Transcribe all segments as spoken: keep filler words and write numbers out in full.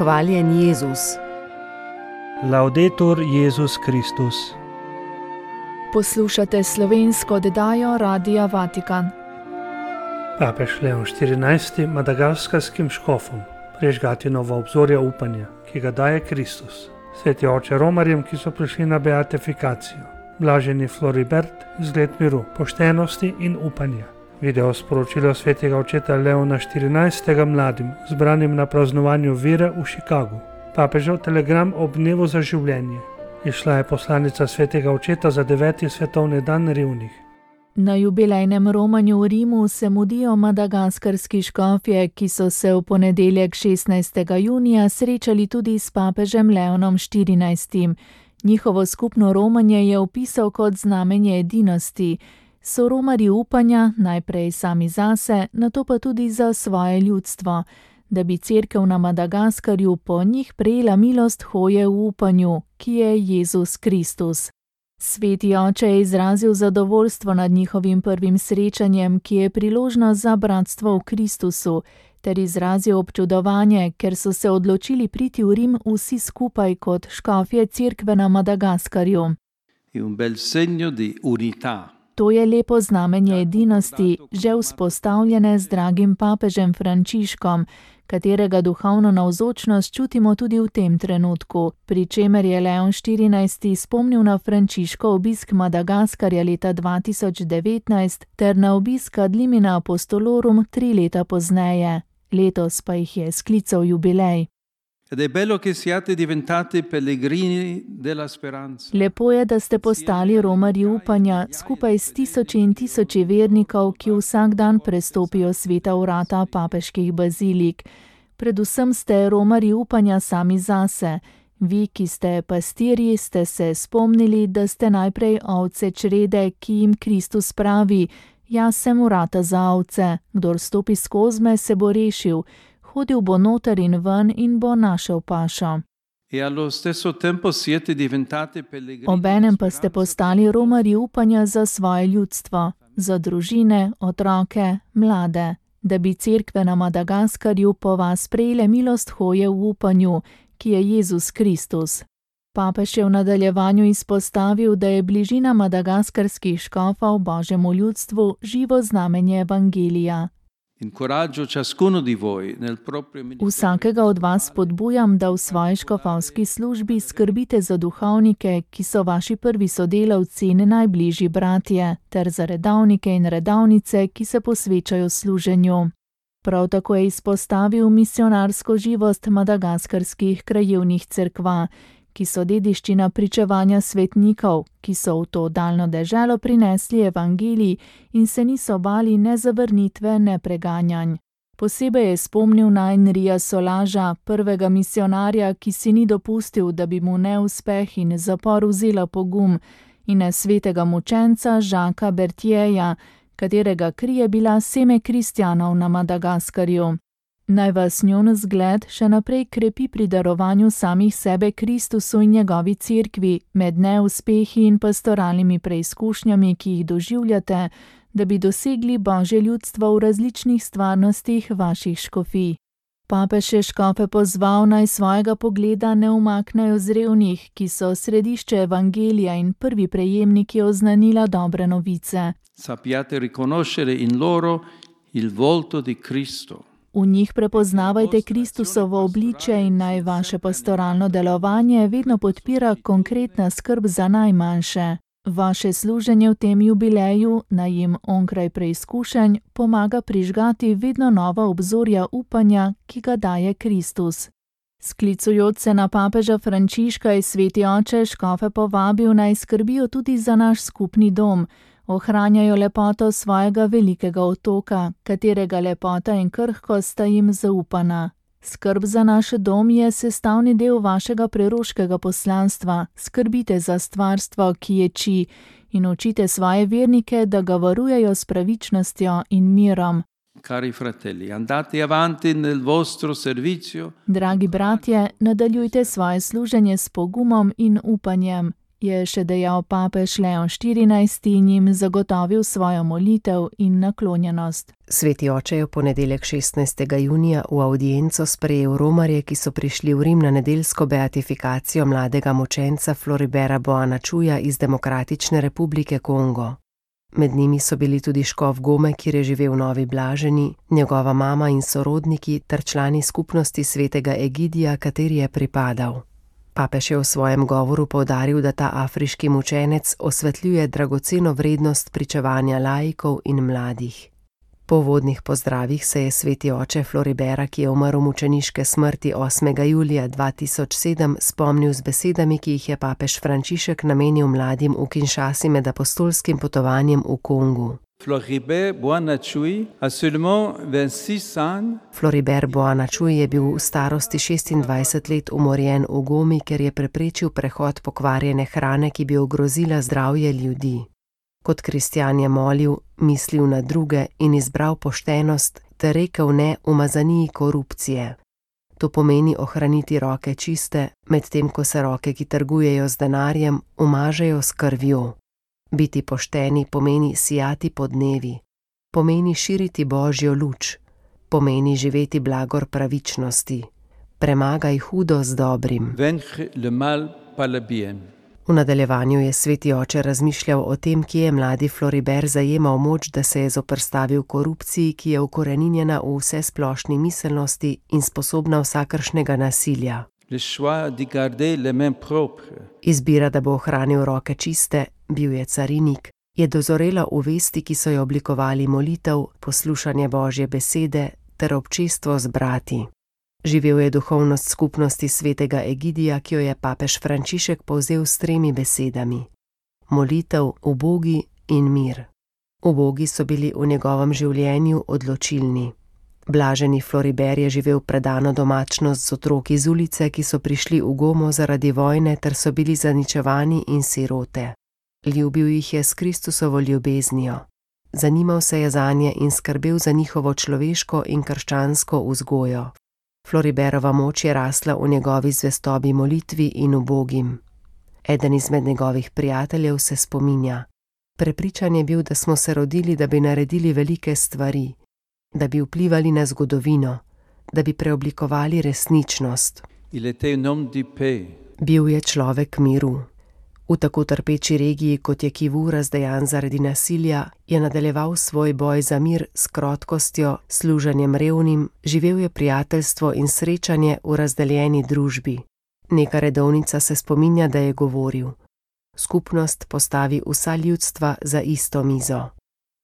Hvaljen Jezus. Laudetur Jezus Kristus. Poslušate slovensko oddajo Radia Vatikan. Papež Leon štirinajsti madagaskarskim škofom prižgati novo obzorje upanja, ki ga daje Kristus. Sveti oče romarjem, ki so prišli na beatifikacijo. Blaženi Floribert, zgled miru, poštenosti in upanja. Video sporočilo svetega očeta Leona štirinajstega mladim, zbranim na praznovanju vire v Chicagu. Papežev telegram ob dnevu za življenje. Išla je poslanica svetega očeta za deveti svetovni dan revnih. Na jubilejnem romanju v Rimu se mudijo madagaskarski škofje, ki so se v ponedeljek šestnajstega junija srečali tudi s papežem Leonom štirinajstim. Njihovo skupno romanje je opisal kot znamenje edinosti. So romarji upanja, najprej sami zase, nato pa tudi za svoje ljudstvo, da bi cerkev na Madagaskarju po njih prejela milost hoje v upanju, ki je Jezus Kristus. Sveti oče je izrazil zadovoljstvo nad njihovim prvim srečanjem, ki je priložnost za bratstvo v Kristusu, ter izrazil občudovanje, ker so se odločili priti v Rim vsi skupaj kot škofje cerkve na Madagaskarju. Un bel segno di unità. To je lepo znamenje edinosti, že vzpostavljene z dragim papežem Frančiškom, katerega duhovno navzočnost čutimo tudi v tem trenutku, pri čemer je Leon štirinajsti spomnil na Frančiškov obisk Madagaskarja leta dva tisoč devetnajst ter na obisk Ad limina apostolorum tri leta pozneje. Letos pa jih je sklical jubilej. Ed è bello che siate diventati pellegrini della speranza. Lepo je, da ste postali romarji upanja, skupaj s tisoči in tisoči vernikov, ki vsak dan prestopijo sveta vrata papeških bazilik. Predvsem ste romarji upanja sami zase. Vi, ki ste pastirji, ste se spomnili, da ste najprej ovce črede, ki jim Kristus pravi: jaz sem vrata za ovce, kdor stopi skozi me, se bo rešil. Hodil bo noter in ven in bo našel pašo. Obenem pa ste postali romarji upanja za svoje ljudstvo, za družine, otroke, mlade, da bi cerkve na Madagaskarju po vas prejele milost hoje v upanju, ki je Jezus Kristus. Papež je v nadaljevanju izpostavil, da je bližina madagaskarskih škofov Božjemu ljudstvu živo znamenje evangelija. Vsakega od vas spodbujam, da v svoji škofovski službi skrbite za duhovnike, ki so vaši prvi sodelavci in najbližji bratje, ter za redovnike in redovnice, ki se posvečajo služenju. Prav tako je izpostavil misionarsko živost madagaskarskih krajevnih cerkva, ki so dediščina pričevanja svetnikov, ki so v to daljno deželo prinesli evangelij in se niso bali ne zavrnitve, ne preganjanj. Posebej je spomnil na Henrija Solaža, prvega misionarja, ki si ni dopustil, da bi mu neuspeh in zapor vzela pogum, in na svetega mučenca Žaka Bertjeja, katerega kri je bila seme kristjanov na Madagaskarju. Naj vas njun zgled še naprej krepi pri darovanju samih sebe Kristusu in njegovi cerkvi, med neuspehi in pastoralnimi preizkušnjami, ki jih doživljate, da bi dosegli Božje ljudstvo v različnih stvarnostih vaših škofij. Papež je škofe pozval, naj svojega pogleda ne umaknejo z revnih, ki so središče evangelija in prvi prejemniki oznanila dobre novice. Sappiate riconoscere in loro il volto di Cristo. V njih prepoznavajte Kristusovo obličje in naj vaše pastoralno delovanje vedno podpira konkretna skrb za najmanjše. Vaše služenje v tem jubileju naj jim onkraj preizkušenj pomaga prižgati vedno nova obzorja upanja, ki ga daje Kristus. Sklicujoč se na papeža Frančiška je sveti oče škofe povabil, naj skrbijo tudi za naš skupni dom, ohranjajo lepoto svojega velikega otoka, katerega lepota in krhkost sta jim zaupana. Skrb za naš dom je sestavni del vašega preroškega poslanstva. Skrbite za stvarstvo, ki ječi, in učite svoje vernike, da ga varujejo s pravičnostjo in mirom. Cari fratelli, andate avanti nel vostro servizio. Dragi bratje, nadaljujte svoje služenje s pogumom in upanjem. je še dejal papež Leon štirinajsti in jim zagotovil svojo molitev in naklonjenost. Sveti oče je v ponedeljek šestnajstega junija v avdienco sprejel romarje, ki so prišli v Rim na nedeljsko beatifikacijo mladega mučenca Floribera Boanačuja iz Demokratične republike Kongo. Med njimi so bili tudi škof Gome, kjer je živel Novi Blaženi, njegova mama in sorodniki ter člani skupnosti svetega Egidija, kateri je pripadal. Papež je v svojem govoru poudaril, da ta afriški mučenec osvetljuje dragoceno vrednost pričevanja laikov in mladih. Po uvodnih pozdravih se je sveti oče Floribera, ki je umrl mučeniške smrti osmega julija dva tisoč sedem, spomnil z besedami, ki jih je papež Frančišek namenil mladim v Kinshasi med apostolskim potovanjem v Kongu. Floribert Boanačuj a seulement vingt-six ans. Floribert Boanačuj je bil v starosti šestindvajset let umorjen v Gomi, ker je preprečil prehod pokvarjene hrane, ki bi ogrozila zdravje ljudi. Kot kristjan je molil, mislil na druge in izbral poštenost ter rekel ne umazaniji korupcije. To pomeni ohraniti roke čiste, medtem ko se roke, ki trgujejo z denarjem, umažejo s krvjo. Biti pošteni pomeni sijati po dnevi, pomeni širiti Božjo luč, pomeni živeti blagor pravičnosti. Premagaj hudo z dobrim. Vaincre le mal par le bien. V nadaljevanju je sveti oče razmišljal o tem, kje je mladi Floribert zajemal moč, da se je zoperstavil korupciji, ki je ukoreninjena v vsesplošni miselnosti in sposobna vsakršnega nasilja. Le choix de garder les mains propres. Izbira, da bo ohranil roke čiste, bil je carinik, je dozorela v vesti, ki so jo oblikovali molitev, poslušanje Božje besede ter občestvo z brati. Živel je duhovnost skupnosti svetega Egidija, ki jo je papež Frančišek povzel s tremi besedami: molitev, ubogi in mir. Ubogi so bili v njegovem življenju odločilni. Blaženi Floribert je živel predano domačnost z otroki z ulice, ki so prišli v Gomo zaradi vojne ter so bili zaničevani in sirote. Ljubil jih je s Kristusovo ljubeznijo. Zanimal se je zanje in skrbel za njihovo človeško in krščansko vzgojo. Floriberova moč je rasla v njegovi zvestobi molitvi in ubogim. Eden izmed njegovih prijateljev se spominja: prepričan je bil, da smo se rodili, da bi naredili velike stvari, da bi vplivali na zgodovino, da bi preoblikovali resničnost. Il était un homme de paix. Bil je človek miru. V tako trpeči regiji, kot je Kivu, razdejan zaradi nasilja, je nadaljeval svoj boj za mir s krotkostjo, služenjem revnim, živel je prijateljstvo in srečanje v razdeljeni družbi. Neka redovnica se spominja, da je govoril: skupnost postavi vsa ljudstva za isto mizo.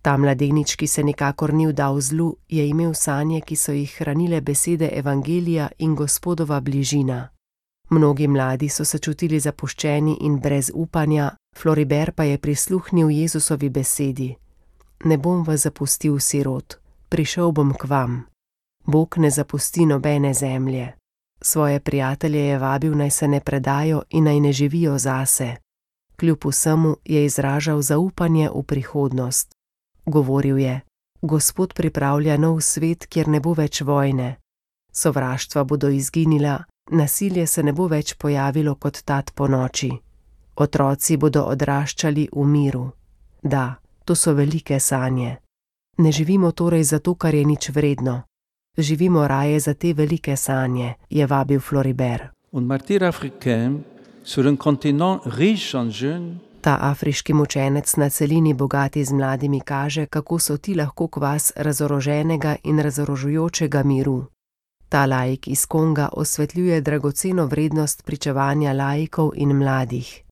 Ta mladenič, ki se nikakor ni vdal zlu, je imel sanje, ki so jih hranile besede evangelija in Gospodova bližina. Mnogi mladi so se čutili zapuščeni in brez upanja, Floribert pa je prisluhnil Jezusovi besedi: ne bom vas zapustil sirot, prišel bom k vam. Bog ne zapusti nobene zemlje. Svoje prijatelje je vabil, naj se ne predajo in naj ne živijo zase. Kljub vsemu je izražal zaupanje v prihodnost. Govoril je: Gospod pripravlja nov svet, kjer ne bo več vojne. Sovraštva bodo izginila, nasilje se ne bo več pojavilo kot tat po noči. Otroci bodo odraščali v miru. Da, to so velike sanje. Ne živimo torej zato, kar je nič vredno. Živimo raje za te velike sanje, je vabil Floribert. Un martyr africain sur un continent riche en jeunes. Ta afriški mučenec na celini bogati z mladimi kaže, kako so ti lahko kvas razoroženega in razorožujočega miru. Ta laik iz Konga osvetljuje dragoceno vrednost pričevanja laikov in mladih.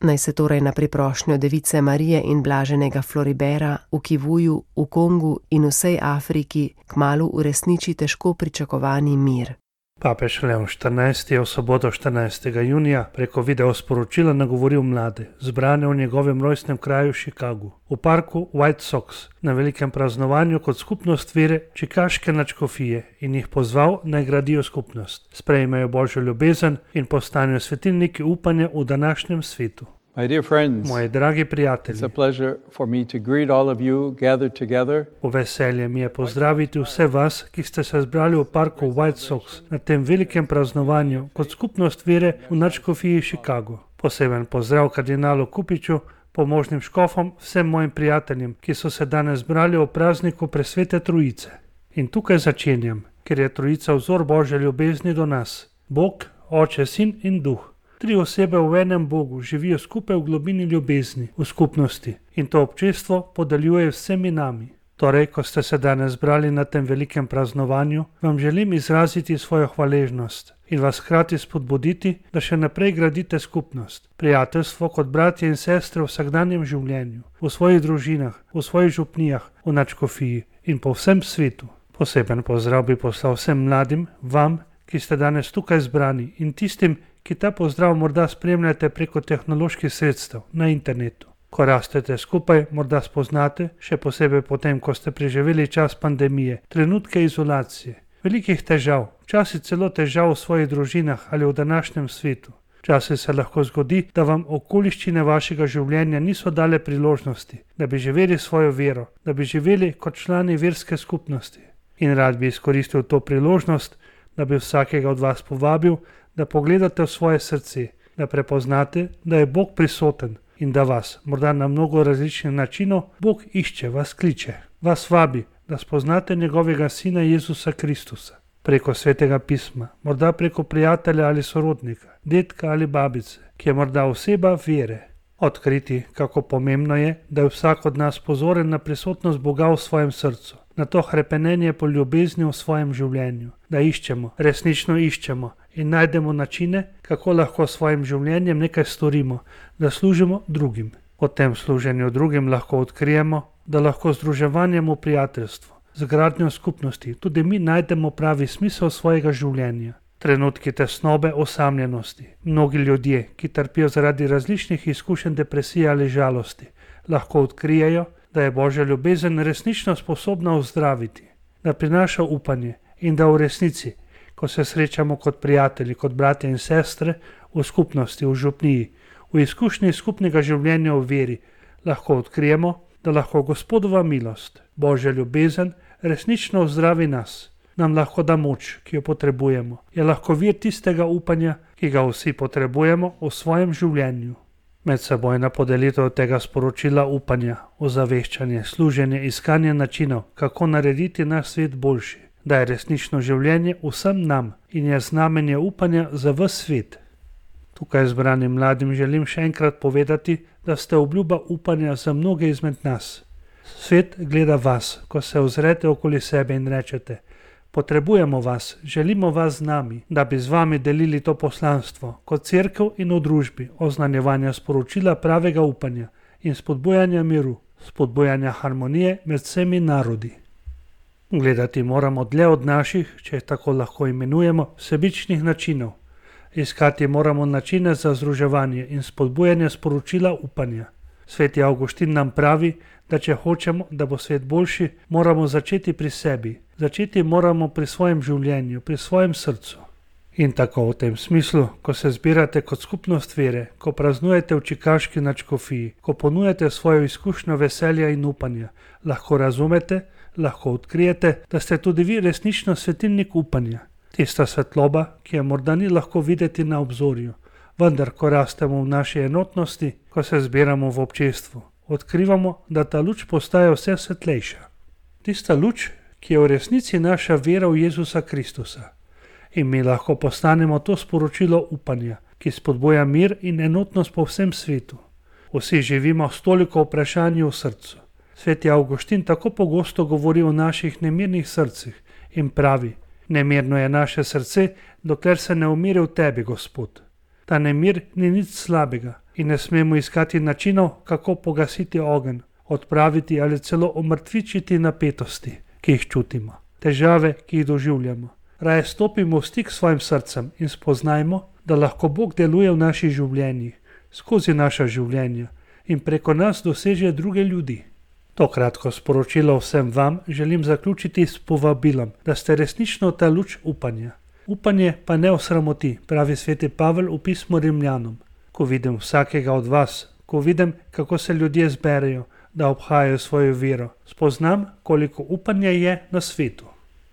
Naj se torej na priprošnjo Device Marije in blaženega Floribera v Kivuju, v Kongu in vsej Afriki kmalu uresniči težko pričakovani mir. Papež Leon štirinajsti je v soboto štirinajstega junija preko videosporočila nagovoril mlade, zbrane v njegovem rojstnem kraju Chicagu, v parku White Sox, na velikem praznovanju kot skupnost vere čikaške nadškofije in jih pozval, naj gradijo skupnost, sprejmejo Božjo ljubezen in postanejo svetilniki upanja v današnjem svetu. My dear friends, Moji dragi it's prijatelji, a pleasure for me to greet all of you gathered together v veselje mi je pozdraviti vse vas, ki ste se zbrali v parku White Sox na tem velikem praznovanju kot skupnost vere v nadškofiji Chicago. Poseben pozdrav kardinalu Kupiču, pomožnim škofom, vsem mojim prijateljem, ki so se danes zbrali o prazniku Presvete Trojice. In tukaj začenjam, ker je Trojica vzor Božje ljubezni do nas. Bog, Oče, Sin in Duh. Tri osebe v enem Bogu živijo skupaj v globini ljubezni, v skupnosti, in to občestvo podeljuje vsemi nami. Torej, ko ste se danes zbrali na tem velikem praznovanju, vam želim izraziti svojo hvaležnost in vas hkrati spodbuditi, da še naprej gradite skupnost, prijateljstvo kot bratje in sestre v vsakdanjem življenju, v svojih družinah, v svojih župnijah, v nadškofiji in po vsem svetu. Poseben pozdrav bi poslal vsem mladim, vam, ki ste danes tukaj zbrani, in tistim, ki ta pozdrav morda spremljate preko tehnoloških sredstev na internetu. Ko rastete skupaj, morda spoznate, še posebej potem, ko ste preživeli čas pandemije, trenutke izolacije, velikih težav, včasih celo težav v svojih družinah ali v današnjem svetu. Včasih se lahko zgodi, da vam okoliščine vašega življenja niso dale priložnosti, da bi živeli svojo vero, da bi živeli kot člani verske skupnosti. In rad bi izkoristil to priložnost, da bi vsakega od vas povabil, da pogledate v svoje srce, da prepoznate, da je Bog prisoten in da vas, morda na mnogo različnih načinov, Bog išče, vas kliče, vas vabi, da spoznate njegovega Sina Jezusa Kristusa. Preko Svetega pisma, morda preko prijatelja ali sorodnika, dedka ali babice, ki je morda oseba vere. Odkriti, kako pomembno je, da je vsak od nas pozoren na prisotnost Boga v svojem srcu, na to hrepenenje po ljubezni v svojem življenju, da iščemo, resnično iščemo in najdemo načine, kako lahko s svojim življenjem nekaj storimo, da služimo drugim. O tem služenju drugim lahko odkrijemo, da lahko združevanjem v prijateljstvu, z gradnjo skupnosti, tudi mi najdemo pravi smisel svojega življenja. Trenutki tesnobe, osamljenosti, mnogi ljudje, ki trpijo zaradi različnih izkušenj depresije ali žalosti, lahko odkrijejo, da je Božja ljubezen resnično sposobna ozdraviti, da prinaša upanje in da v resnici, ko se srečamo kot prijatelji, kot bratje in sestre, v skupnosti, v župniji, v izkušnji skupnega življenja v veri, lahko odkrijemo, da lahko Gospodova milost, Božja ljubezen, resnično ozdravi nas, nam lahko da moč, ki jo potrebujemo, je lahko vir tistega upanja, ki ga vsi potrebujemo v svojem življenju. Medsebojna podelitev tega sporočila upanja, ozaveščanje, služenje, iskanje načinov, kako narediti naš svet boljši, da je resnično življenje vsem nam in je znamenje upanja za ves svet. Tukaj zbranim mladim želim še enkrat povedati, da ste obljuba upanja za mnoge izmed nas. Svet gleda vas, ko se ozrete okoli sebe in rečete: potrebujemo vas, želimo vas z nami, da bi z vami delili to poslanstvo, kot cerkev in v družbi, oznanjevanja sporočila pravega upanja in spodbujanja miru, spodbujanja harmonije med vsemi narodi. Gledati moramo dlje od naših, če jih tako lahko imenujemo, sebičnih načinov. Iskati moramo načine za združevanje in spodbujanje sporočila upanja. Sveti Avguštin nam pravi, da če hočemo, da bo svet boljši, moramo začeti pri sebi. Začeti moramo pri svojem življenju, pri svojem srcu. In tako v tem smislu, ko se zbirate kot skupnost vere, ko praznujete v čikaški nadškofiji, ko ponujate svojo izkušnjo veselja in upanja, lahko razumete, lahko odkrijete, da ste tudi vi resnično svetilnik upanja. Tista svetloba, ki je morda ni lahko videti na obzorju, vendar ko rastemo v naši enotnosti, ko se zbiramo v občestvu, odkrivamo, da ta luč postaja vse svetlejša. Tista luč, ki je v resnici naša vera v Jezusa Kristusa. In mi lahko postanemo to sporočilo upanja, ki spodbuja mir in enotnost po vsem svetu. Vsi živimo s toliko vprašanji v srcu. Sveti Avguštin tako pogosto govori o naših nemirnih srcih in pravi: nemirno je naše srce, dokler se ne umiri v tebi, Gospod. Ta nemir ni nič slabega in ne smemo iskati načinov, kako pogasiti ogenj, odpraviti ali celo omrtvičiti napetosti, ki jih čutimo, težave, ki jih doživljamo. Raje stopimo v stik s svojim srcem in spoznajmo, da lahko Bog deluje v naših življenjih, skozi naša življenja in preko nas doseže druge ljudi. To kratko sporočilo vsem vam želim zaključiti s povabilom, da ste resnično ta luč upanja. Upanje pa ne osramoti, pravi sveti Pavel v pismu Rimljanom. Ko vidim vsakega od vas, ko vidim, kako se ljudje zberejo, da obhajajo svojo vero, spoznam, koliko upanja je na svetu.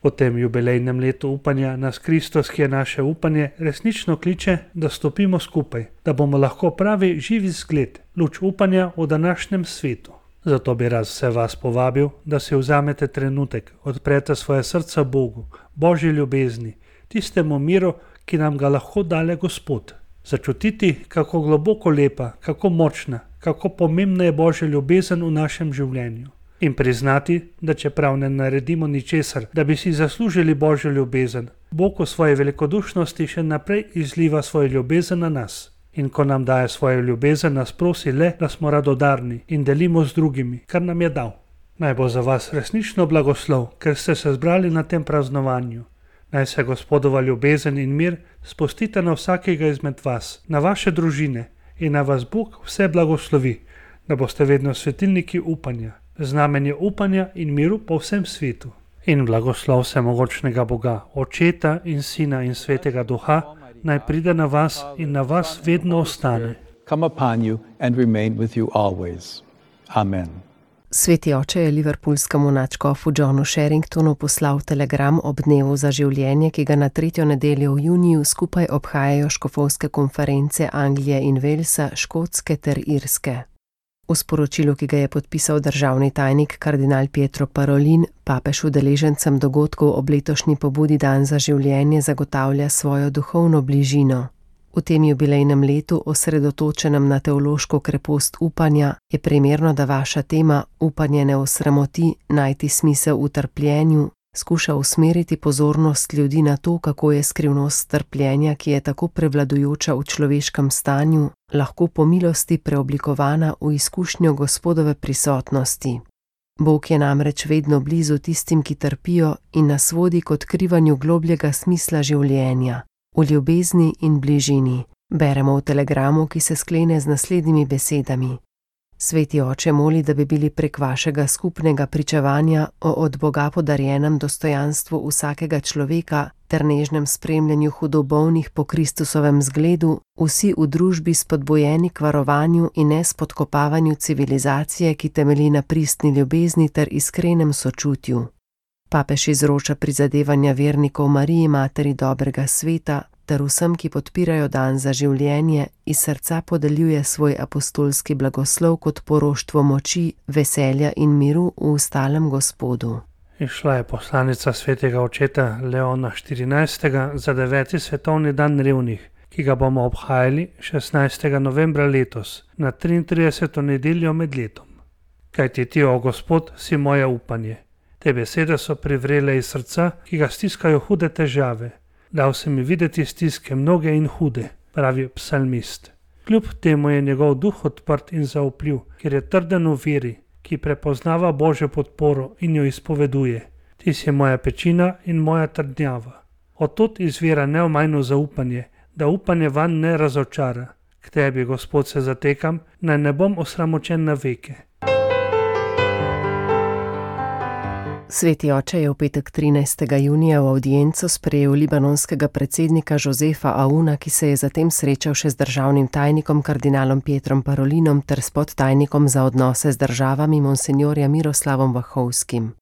Po tem jubilejnem letu upanja nas Kristus, ki je naše upanje, resnično kliče, da stopimo skupaj, da bomo lahko pravi živi zgled, luč upanja v današnjem svetu. Zato bi raz vse vas povabil, da si vzamete trenutek, odprete svoje srca Bogu, Božji ljubezni, tistemu miru, ki nam ga lahko dale Gospod. Začutiti, kako globoko lepa, kako močna, kako pomembna je Božja ljubezen v našem življenju. In priznati, da čeprav ne naredimo ničesar, da bi si zaslužili Božjo ljubezen, Bog v svoji velikodušnosti še naprej izliva svojo ljubezen na nas. In ko nam daje svojo ljubezen, nas prosi le, da smo radodarni in delimo z drugimi, kar nam je dal. Naj bo za vas resnično blagoslov, ker ste se zbrali na tem praznovanju. Naj se Gospodova ljubezen in mir spustite na vsakega izmed vas, na vaše družine in na vas Bog vse blagoslovi, da boste vedno svetilniki upanja, znamenje upanja in miru po vsem svetu. In blagoslov vsemogočnega Boga, Očeta in Sina in Svetega Duha, naj pride na vas in na vas vedno ostane. Come upon you and remain with you always. Amen. Sveti oče je liverpoolskemu nadškofu Johnu Sherringtonu poslal telegram ob dnevu za življenje, ki ga na tretjo nedeljo v juniju skupaj obhajajo škofovske konference Anglije in Walesa, Škotske ter Irske. V sporočilu, ki ga je podpisal državni tajnik kardinal Pietro Parolin, papež udeležencem dogodkov ob letošnji pobudi Dan za življenje zagotavlja svojo duhovno bližino. V tem jubilejnem letu, osredotočenem na teološko krepost upanja, je primerno, da vaša tema upanje ne osramoti, najti smisel v trpljenju, skuša usmeriti pozornost ljudi na to, kako je skrivnost trpljenja, ki je tako prevladujoča v človeškem stanju, lahko po milosti preoblikovana v izkušnjo Gospodove prisotnosti. Bog je namreč vedno blizu tistim, ki trpijo in nas vodi k odkrivanju globljega smisla življenja, v ljubezni in bližini, beremo v telegramu, ki se sklene z naslednjimi besedami. Sveti oče moli, da bi bili prek vašega skupnega pričevanja o od Boga podarjenem dostojanstvu vsakega človeka ter nežnem spremljanju hudobolnih po Kristusovem zgledu, vsi v družbi spodbujeni k varovanju in ne spodkopavanju civilizacije, ki temelji na pristni ljubezni ter iskrenem sočutju. Papež izroča prizadevanja vernikov Mariji, materi dobrega sveta, ter vsem, ki podpirajo Dan za življenje, iz srca podeljuje svoj apostolski blagoslov kot poroštvo moči, veselja in miru v ustalem Gospodu. Išla je poslanica svetega očeta Leona štirinajstega za deveti svetovni dan revnih, ki ga bomo obhajali šestnajstega novembra letos, na triintrideseto nedeljo med letom. Kajti ti, o Gospod, si moje upanje. Te besede so privrele iz srca, ki ga stiskajo hude težave. Dal se mi videti stiske mnoge in hude, pravi psalmist. Kljub temu je njegov duh odprt in zaupljiv, ker je trden v veri, ki prepoznava Božjo podporo in jo izpoveduje. Ti si moja pečina in moja trdnjava. Od tod izvira neomajno zaupanje, da upanje vanj ne razočara. K tebi, Gospod, se zatekam, naj ne bom osramočen na veke. Sveti oče je v petek trinajstega junija v avdienco sprejel libanonskega predsednika Josefa Aouna, ki se je zatem srečal še z državnim tajnikom kardinalom Pietrom Parolinom ter s podtajnikom za odnose z državami monsinjorja Miroslavom Vahovskim.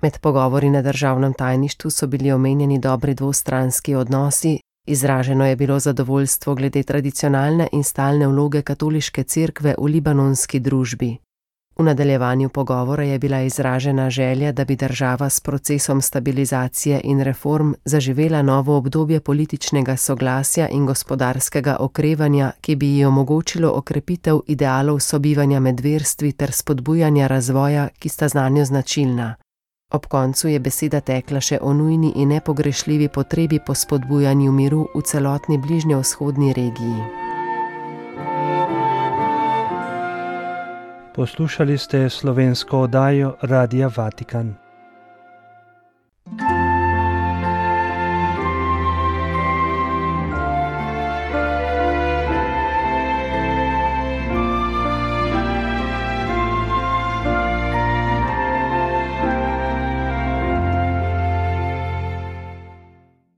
Med pogovori na državnem tajništvu so bili omenjeni dobri dvostranski odnosi, izraženo je bilo zadovoljstvo glede tradicionalne in stalne vloge katoliške cerkve v libanonski družbi. V nadaljevanju pogovora je bila izražena želja, da bi država s procesom stabilizacije in reform zaživela novo obdobje političnega soglasja in gospodarskega okrevanja, ki bi ji omogočilo okrepitev idealov sobivanja med verstvi ter spodbujanja razvoja, ki sta zanjo značilna. Ob koncu je beseda tekla še o nujni in nepogrešljivi potrebi po spodbujanju miru v celotni bližnjevzhodni regiji. Poslušali ste slovensko oddajo Radia Vatikan.